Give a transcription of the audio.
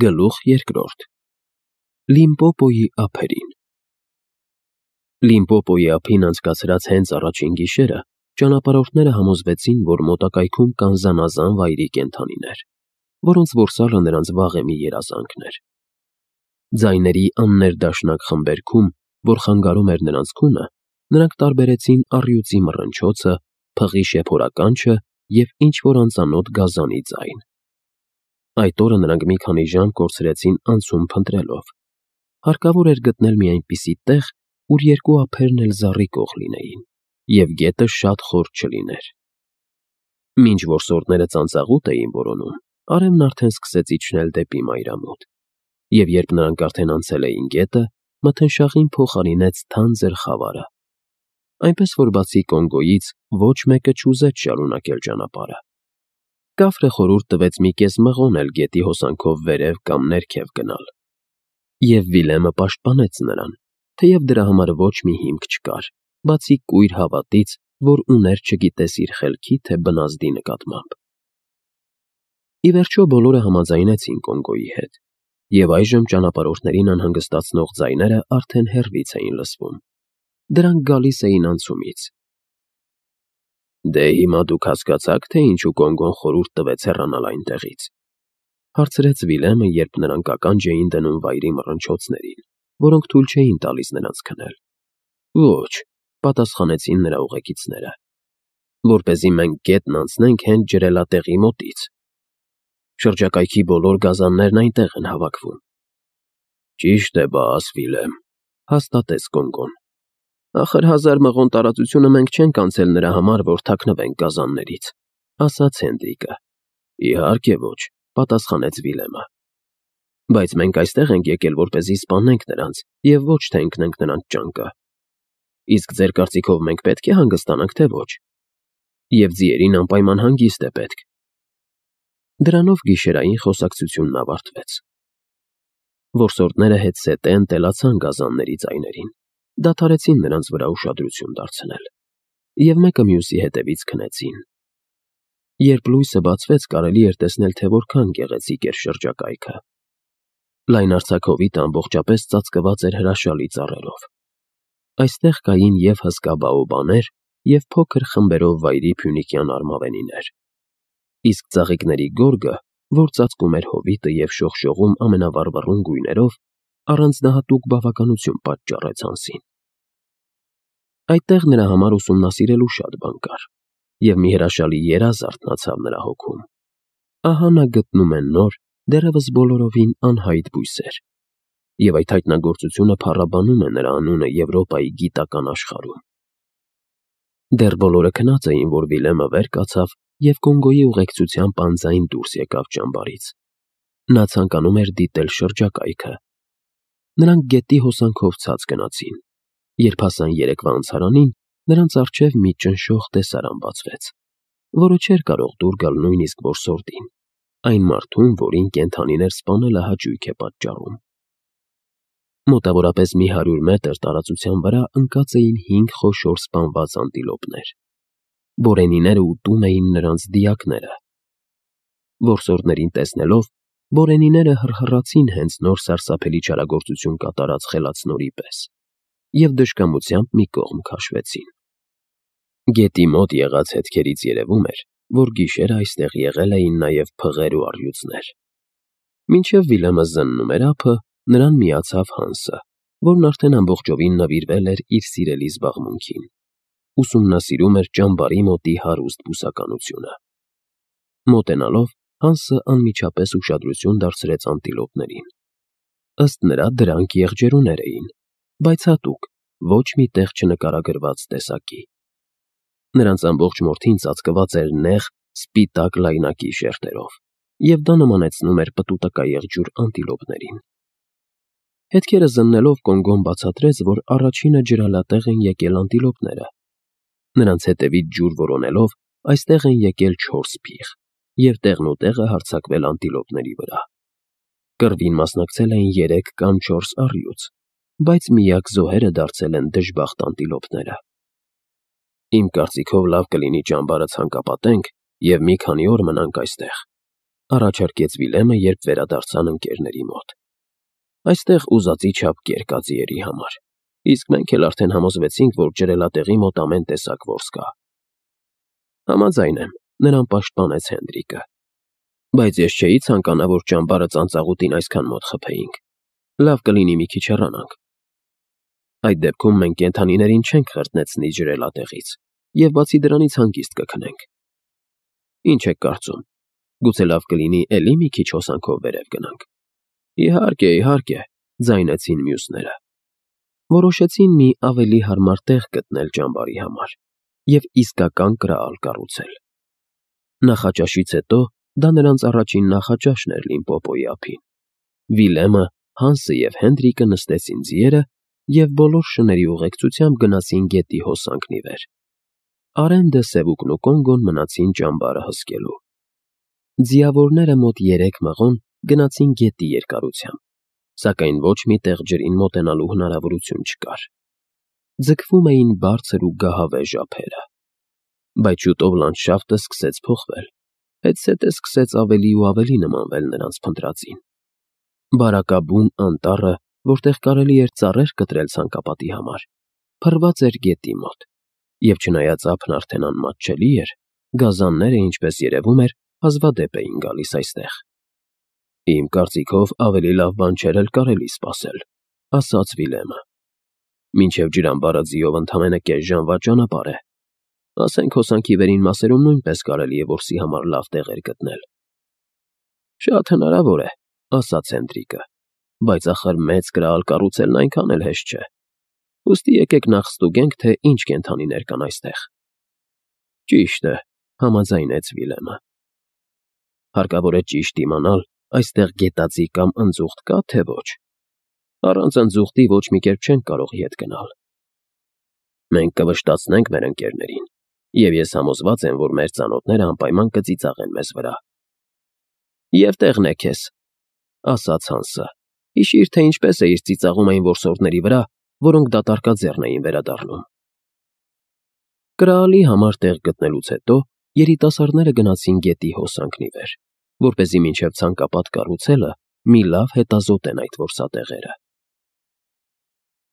Գլուխ երկրորդ Լիմպոպոյի ափերին Լիմպոպոյի ափին անցկացրած հենց առաջին գիշերը ճանապարհորդները համոզվեցին, որ մոտակայքում կան զանազան վայրի կենդանիներ, որոնց որսալը նրանց վաղեմի երազանքն էր։ Ձայների աններդաշնակ խմբերգում, որ խանգարում էր նրանց քունը, նրանք տարբերեցին առյուծի մռնչոցը, փղի շեփորականչը և ինչ-որ անծանոթ գազանի ձայն։ Այդ օրը նրանք մի քանի ժամ կորցրեցին անցում փնտրելով։ Հարկավոր էր գտնել մի այնպիսի տեղ, ուր երկու ափերն էլ զառիկող լինեին, և գետը շատ խոր չլիներ։ Մինչ որսորդները ծանծաղուտ էին որոնում, արևն արդեն սկսեց իջնել դեպի մայրամուտ, և երբ նրանք արդեն անցել էին գետը, մթնշաղին փոխարինեց թանձր խավարը, այնպես որ բացի Կոնգոյից ոչ մեկը չուզեց շարունակել ճանապարհը։ Կաֆրը խորհուրդ տվեց մի կես մղոն էլ գետի հոսանքով վերև կամ ներքև գնալ, և Վիլեմը պաշտպանեց նրան, թեև դրա համար ոչ մի հիմք չկար, բացի կույր հավատից, որ ուներ չգիտես իր խելքի թե բնազդի նկատմամբ։ Ի վերջո բոլորը համաձայնեցին Կոնգոյի հետ, և այժմ ճանապարհորդներին անհանգստացնող ձայները արդեն հեռվից էին լսվում։ Դրանք գալիս էին անցումից։ «Դե հիմա դուք հասկացա՞ք, թե ինչու Կոնգոն խորհուրդ տվեց հեռանալ այնտեղից», հարցրեց Վիլեմը, երբ նրանք ականջ էին դնում վայրի մռնչոցներին, որոնք թույլ չէին տալիս նրանց քնել։ «Ոչ», պատասխանեցին նրա ուղեկիցները, «որպեսզի մենք գետն անցնենք հենց ջրելատեղի մոտից։ Շրջակայքի բոլոր գազաններն այնտեղ են հավաքվում»։ «Ճիշտ է բաս, Վիլեմ», հաստատեց Կոնգոն։ «Ախր 1000 մղոն տարածությունը մենք չենք անցել նրա համար, որ թաքնվենք գազաններից», ասաց Հենդրիկը։ «Իհարկե ոչ», պատասխանեց Վիլեմը։ «Բայց մենք այստեղ ենք եկել, որպեսզի սպանենք նրանց և ոչ թե ընկնենք նրանց ճանկը։ Իսկ ձեր կարծիքով մենք պետք է հանգստանանք, թե ոչ։ Եվ ձիերին անպայման հանգիստ է պետք»։ Դրանով գիշերային խոսակցությունն ավարտվեց։ Որսորդները հետզհետե ընտելացան գազանների ձայներին, դադարեցին նրանց վրա ուշադրություն դարձնել և մեկը մյուսի հետևից քնեցին։ Երբ լույսը բացվեց, կարելի էր տեսնել, թե որքան գեղեցիկ էր շրջակայքը։ Լայնարձակ ամբողջապես ծածկված էր հրաշալի ծառերով։ Այստեղ կային և հսկա բաոբաներ, և փոքր խմբերով վայրի փյունիկյան արմավենիներ։ Իսկ ծաղիկների գորգը, որ ծածկում էր հովիտը և շողշողում ամենավառվռուն գույներով, առանձնահատուկ բավականություն պատճառեց անձին։ Այդտեղ նրա համար ուսումնասիրելու շատ բան կար, և մի հրաշալի երազ արթնացավ նրա հոգում։ Ահա նա գտնում է նոր, դեռևս բոլորովին անհայտ բույսեր, և այդ հայտնագործությունը փառաբանում է նրա անունը Եվրոպայի գիտական աշխարհում։ Դեռ բոլորը քնած էին, որ Վիլեմը վեր կացավ և Կոնգոյի ուղեկցությամբ անձայն դուրս եկավ ճամբարից։ Նա ցանկանում էր դիտել շրջակայքը։ Նրանք գետի հոսանքով ցած գնացին։ Երբ հասան երեկվա անցարանին, նրանց առջև մի ճնշող տեսարան բացվեց, որը չէր կարող դուր գալ նույնիսկ որսորդին, այն մարդուն, որին կենդանիներ սպանելը հաճույք է պատճառում։ Մոտավորապես մի 100 մետր տարածության վրա ընկած էին 5 խոշոր սպանված անտիլոպներ։ Բորենիները ուտում էին նրանց դիակները։ Որսորդներին տեսնելով, բորենիները հռհռացին հենց նոր սարսափելի չարագործություն կատարած խելացնորի պես և դժկամությամբ մի կողմ քաշվեցին։ Գետի մոտ եղած հետքերից երևում էր, որ գիշերը այստեղ եղել էին նաև փղեր ու առյուծներ։ Մինչև Վիլեմը զննում էր ափը, նրան միացավ Հանսը, որն արդեն ամբողջովին նվիրվել էր իր սիրելի զբաղմունքին, ուսումնասիրում էր ճամբարի մոտի հարուստ բուսականությունը։ Մոտենալով, Հանսը անմիջապես ուշադրություն դարձրեց անտիլոպներին։ Ըստ նրա դրանք եղջերուներ էին, բայց հատուկ, ոչ մի տեղ չնկարագրված տեսակի։ Նրանց ամբողջ մորթին ծածկված էր նեղ, սպիտակ լայնակի շերտերով, և դա նմանեցնում էր պտուտակա եղջյուր անտիլոպներին։ Հետքերը զննելով Կոնգոն բացատրեց, որ առաջինը ջրալատեղ են եկել անտիլոպները։ Նրանց հետևից ջուր որոնելով այստեղ են եկել 4 փիղ, և տեղնուտեղը հարձակվել անտիլոպների վրա։ Կռվին մասնակցել էին 3 կամ 4 առյուծ, բայց միակ զոհերը դարձել են դժբախտ անտիլոպները։ «Իմ կարծիքով լավ կլինի ճամբարը ցանկապատենք և մի քանի օր մնանք այստեղ», Առաջարկեց Վիլեմը, երբ վերադարձան ընկերների մոտ։ Այստեղ ուզածի չափ կեր կա ձիերի համար, իսկ մենք էլ արդեն համոզվեցինք, որ ջրելատեղի մոտ ամեն տեսակ որս կա։ Համաձայն եմ, նրան պաշտպանեց Հենդրիկը։ Բայց ես չէի ցանկանա, որ ճամբարը ծանծաղուտին այսքան մոտ խփեինք։ Լավ կլինի մի քիչ հեռանանք։ Այդ դեպքում մենք կենդանիներին չենք խրտնեցնի ջրելատեղից, եւ բացի դրանից հանգիստ կքնենք։ Ինչ եք կարծում, գուցե լավ կլինի էլի մի քիչ հոսանքով վերև գնանք։ Իհարկե, ձայնեցին մյուսները։ Որոշեցին մի ավելի հարմար տեղ գտնել ճամբարի համար եւ իսկական կրալ կառուցել։ Նախաճաշից հետո դա նրանց առաջին նախաճաշն էր Լիմպոպոյի ափին։ Վիլեմը, Հանսը եւ Հենդրիկը նստեցին ձիերը եւ բոլոր շների ուղեկցությամբ գնացին գետի հոսանքն ի վեր։ Արենդը, Սևուկն ու Կոնգոն մնացին ճամբարը հսկելու։ Ձիավորները մոտ 3 մղոն գնացին գետի երկարությամբ, սակայն ոչ մի տեղ ջրին մոտենալու հնարավորություն չկար։ Ձգվում էին բարձր ու գահավեժ ափերը։ Բայց շուտով լանդշաֆտը սկսեց փոխվել, հետզհետե սկսեց ավելի ու ավելի նմանվել նրանց փնտրածին։ Բարակաբուն անտառը, որտեղ կարելի էր ծառեր կտրել ցանկապատի համար, փռված էր գետի մոտ, եւ չնայած ափն արդեն անմատչելի էր, գազանները, ինչպես երևում էր, հազվադեպ էին գալիս այստեղ։ Իմ կարծիքով ավելի լավ բան չէր էլ կարելի սպասել, ասաց Վիլեմը։ Մինչև ջրամբարը ձիով ընդամենը կես ժամվա ճանապարհ է։ Ասենք հոսանքի վերին մասերում նույնպես կարելի է որսի համար լավ տեղեր գտնել։ Շատ հնարավոր է, ասաց Հենդրիկը, բայց ախր մեծ կրալ կառուցելն այնքան էլ հեշտ չէ։ Ուստի եկեք նախ ստուգենք, թե ինչ կենդանիներ կան այստեղ։ Ճիշտ է, համաձայնեց Վիլեմը։ Հարկավոր է ճիշտ իմանալ, այստեղ գետաձի կամ ընձուղտ կա, թե ոչ։ Առանց ընձուղտի ոչ մի կերպ չենք կարող ետ գնալ։ Մենք կվշտացնենք մեր ընկերներին, եւ ես համոզված եմ, որ մեր ծանոթները անպայման կծիծաղեն մեզ վրա։ Եվ տեղն է քեզ, ասաց Հանսը։ Հիշիր, թե ինչպես է իր ծիծաղում այն որսորդների վրա, որոնք դատարկաձեռն էին վերադառնում։ Կրալի համար տեղ գտնելուց հետո երիտասարդները գնացին գետի հոսանքն ի վեր, որպեսզի մինչև ցանկապատ կառուցելը մի լավ հետազոտեն այդ որսատեղերը։